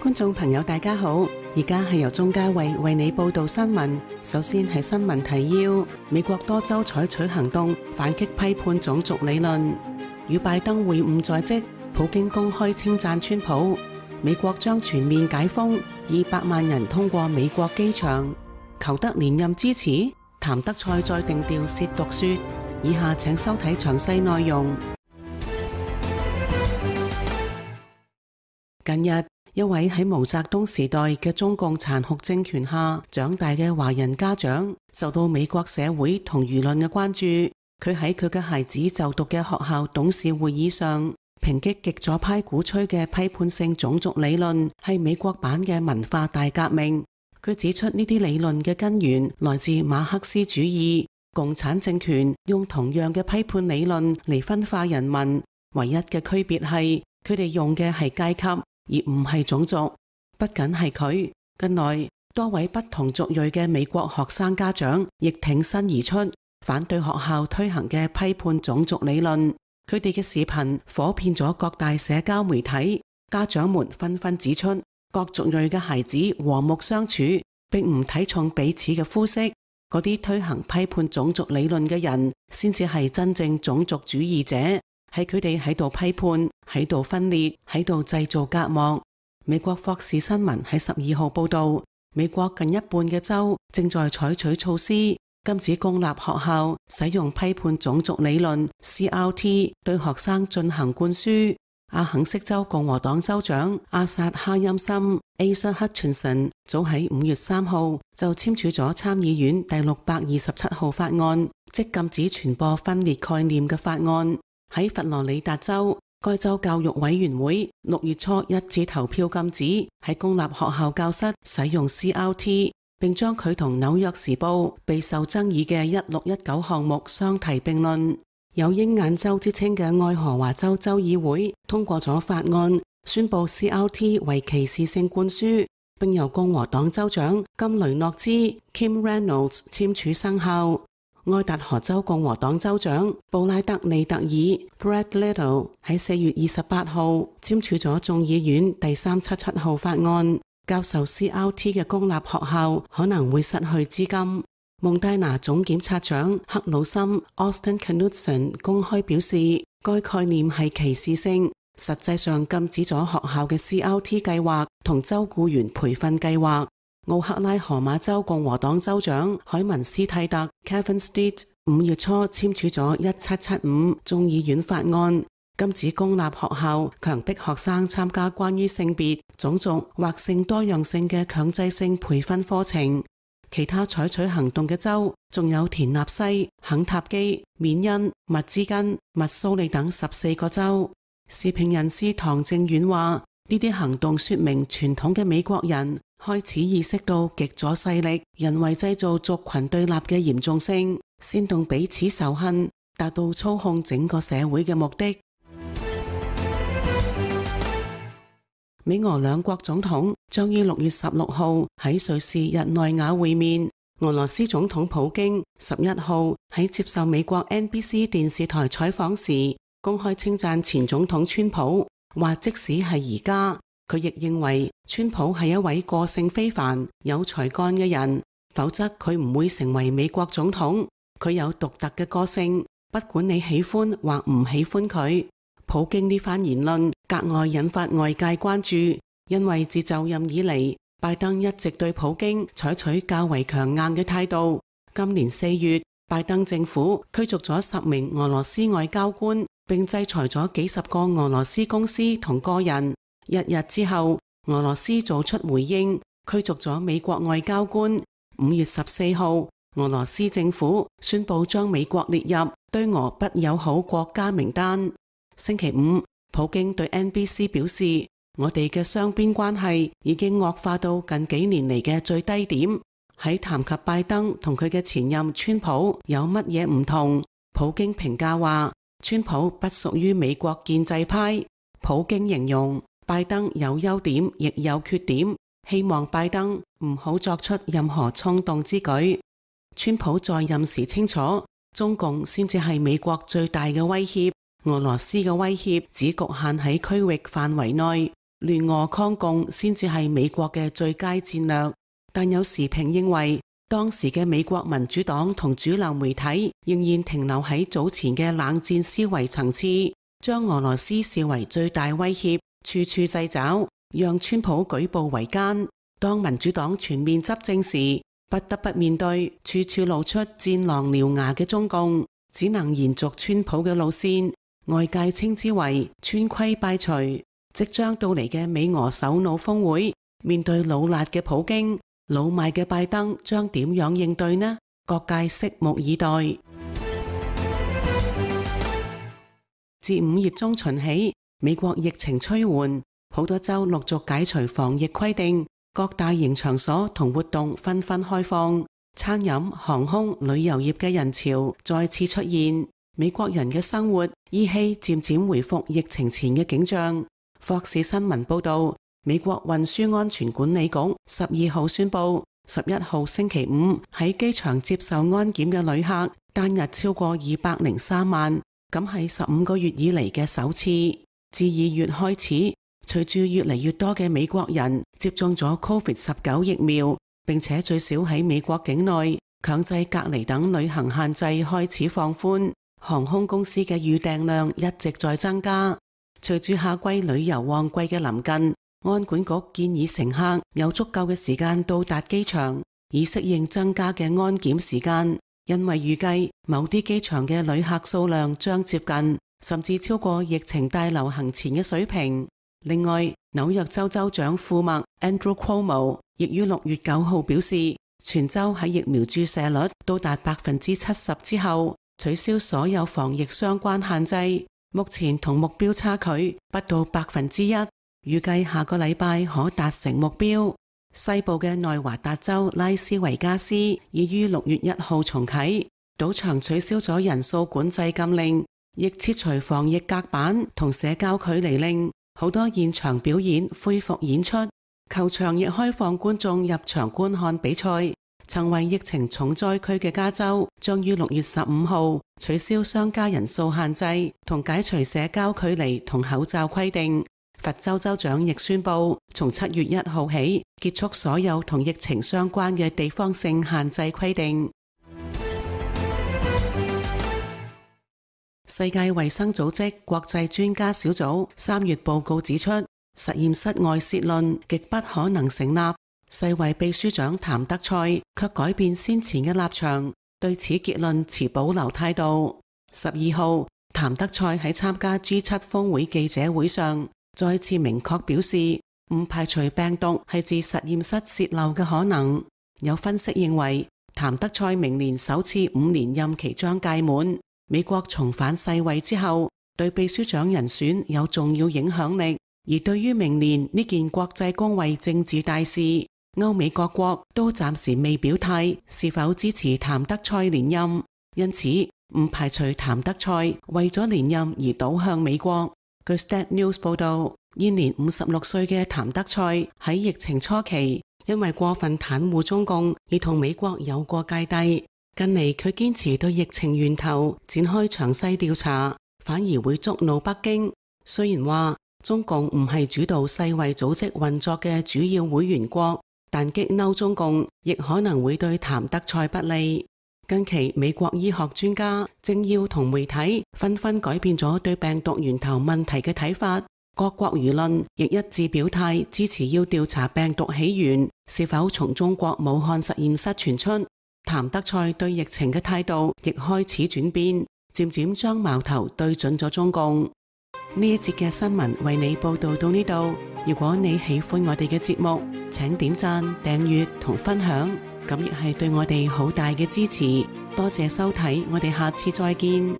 觀眾朋友大家好，而家係由鍾嘉慧為你報道新聞。首先係新聞提要：美國多州採取行動反擊批判種族理論。與拜登會晤在即，普京公開稱讚川普。美國將全面解封，200萬人通過美國機場。求得連任支持，譚德塞再定調褻瀆說。以下請收睇詳細內容。近日，一位喺毛澤東時代嘅中共殘酷政權下長大嘅華人家長，受到美國社會同輿論嘅關注。佢喺佢嘅孩子就讀嘅學校董事會議上，抨擊極左派鼓吹嘅批判性種族理論係美國版嘅文化大革命。佢指出呢啲理論嘅根源來自馬克思主義，共產政權用同樣嘅批判理論嚟分化人民，唯一嘅區別係佢哋用嘅係階級，而唔係種族。不僅係佢，近來多位不同族裔嘅美國學生家長亦挺身而出，反對學校推行嘅批判種族理論。佢哋嘅視頻火遍咗各大社交媒體，家長們紛紛指出，各族裔嘅孩子和睦相處，並唔睇重彼此嘅膚色。嗰啲推行批判種族理論嘅人，先至係真正種族主義者。係佢哋喺度批判，喺度分裂，喺度製造隔膜。美國霍士新聞喺12號報道，美國近一半嘅州正在採取措施，禁止公立學校使用批判種族理論 CRT 對學生進行灌輸。阿肯色州共和黨州長阿薩哈欽森 Asa Hutchinson 早喺5月3號就簽署咗參議院第627號法案，即禁止傳播分裂概念嘅法案。喺佛羅里達州，該州教育委員會6月初一致投票禁止喺公立學校教室使用 CRT， 並將佢同紐約時報備受爭議嘅1619項目相提並論。有鷹眼州之稱嘅愛荷華州州議會通過咗法案，宣布 CRT 為歧視性灌輸，並由共和黨州長金雷諾茲 Kim Reynolds 簽署生效。愛達荷州共和黨州長布拉德利特爾 Brad Little 喺4月28號簽署咗眾議院第377號法案，教授 CRT 嘅公立學校可能會失去資金。蒙大拿總檢察長克魯森 Austin Knudsen 公開表示，該概念係歧視性，實際上禁止咗學校嘅 CRT 計劃同州僱員培訓計劃。奧克拉荷馬州共和黨州長海文斯蒂特 Kevin Stitt 5月初簽署咗1775眾議院法案，禁止公立學校強迫學生參加關於性別、種族或性多樣性嘅強制性培訓課程。其他採取行動嘅州仲有田納西、肯塔基、緬因、密茲根、密蘇里等14個州。時評人士唐正遠話，呢啲行動說明傳統嘅美國人開始意識到極左勢力人為製造族群對立嘅嚴重性，煽動彼此仇恨，達到操控整個社會嘅目的。美俄兩國總統將於6月16號喺瑞士日內瓦會面。俄羅斯總統普京11號喺接受美國 NBC 電視台採訪時，公開稱讚前總統川普，話即使係而家，佢亦認為川普係一位個性非凡、有才幹嘅人，否則佢唔會成為美國總統。佢有獨特嘅個性，不管你喜歡或唔喜歡佢。普京呢番言論格外引發外界關注，因為自就任以嚟，拜登一直對普京採取較為強硬嘅態度。今年4月，拜登政府驅逐咗10名俄羅斯外交官，並制裁咗幾十個俄羅斯公司同個人。一日之後，俄羅斯做出回應，驅逐咗美國外交官。5月14號，俄羅斯政府宣布將美國列入對俄不友好國家名單。星期五，普京對 NBC 表示，我哋嘅雙邊關係已經惡化到近幾年嚟嘅最低點。喺談及拜登同佢嘅前任川普有乜嘢唔同，普京評價話，川普不屬於美國建制派。普京形容拜登有優點亦有缺點，希望拜登唔好作出任何衝動之舉。川普在任時清楚，中共先至係美國最大嘅威脅。俄羅斯嘅威脅只局限喺區域範圍內，聯俄抗共先至係美國嘅最佳戰略。但有時評認為，當時嘅美國民主黨同主流媒體仍然停留喺早前嘅冷戰思維層次，將俄羅斯視為最大威脅，處處掣肘，讓川普舉步維艱。當民主黨全面執政時，不得不面對處處露出戰狼獠牙嘅中共，只能延續川普嘅路線，外界稱之為川規敗除。即將到嚟嘅美俄首腦峰會，面對老辣嘅普京、老邁嘅拜登，將點樣應對呢？各界拭目以待。自5月中旬起，美國疫情趨緩，好多州陸續解除防疫規定，各大型場所同活動紛紛開放，餐飲、航空、旅遊業嘅人潮再次出現，美國人嘅生活依稀漸漸回復疫情前嘅景象。霍士新聞報道，美國運輸安全管理局12號宣布，11號星期五喺機場接受安檢嘅旅客單日超過203萬，咁係15個月以嚟嘅首次。自2月開始，隨住越嚟越多嘅美國人接種咗 COVID-19 疫苗，並且最少喺美國境內強制隔離等旅行限制開始放寬，航空公司嘅預訂量一直在增加。隨住夏季旅遊旺季嘅臨近，安管局建議乘客有足夠嘅時間到達機場，以適應增加嘅安檢時間。因為預計某啲機場嘅旅客數量將接近，甚至超過疫情大流行前嘅水平。另外，紐約州州長庫麥 Andrew Cuomo 亦於6月9號表示，全州喺疫苗注射率到達70%之後，取消所有防疫相關限制。目前同目標差距不到1%，預計下個禮拜可達成目標。西部嘅內華達州拉斯維加斯已於6月1號重啟，賭場取消咗人數管制禁令，亦撤除防疫隔板同社交距離令，好多現場表演恢復演出，球場亦開放觀眾入場觀看比賽。曾為疫情重災區嘅加州將於6月15號取消商家人數限制同解除社交距離同口罩規定。佛州州長亦宣布從7月1號起結束所有同疫情相關嘅地方性限制規定。世界衛生組織國際專家小組3月報告指出，實驗室外洩論極不可能成立。世衛秘書長譚德塞卻改變先前嘅立場，對此結論持保留態度。12號，譚德塞喺參加 G7 峰會記者會上再次明確表示，唔排除病毒係自實驗室洩漏嘅可能。有分析認為，譚德塞明年首次5年任期將屆滿，美國重返世衛之後，對秘書長人選有重要影響力。而對於明年呢件國際公衛政治大事，歐美各國都暫時未表態是否支持譚德塞連任，因此唔排除譚德塞為咗連任而倒向美國。據 Stat News 報道，現年56歲嘅譚德塞喺疫情初期因為過分袒護中共而同美國有過芥蒂，近嚟佢堅持對疫情源頭展開詳細調查，反而會觸怒北京。雖然話中共唔係主導世衛組織運作嘅主要會員國，但激嬲中共亦可能會對譚德塞不利。近期美國醫學專家、政要同媒體紛紛改變咗對病毒源頭問題嘅睇法，各國輿論亦一致表態支持要調查病毒起源是否從中國武漢實驗室傳出。譚德塞對疫情嘅態度亦開始轉變，漸漸將矛頭對準咗中共。呢一節嘅新聞為你報道到呢度。如果你喜歡我哋嘅節目，請點讚、訂閱同分享，咁亦係對我哋好大嘅支持。多謝收睇，我哋下次再見。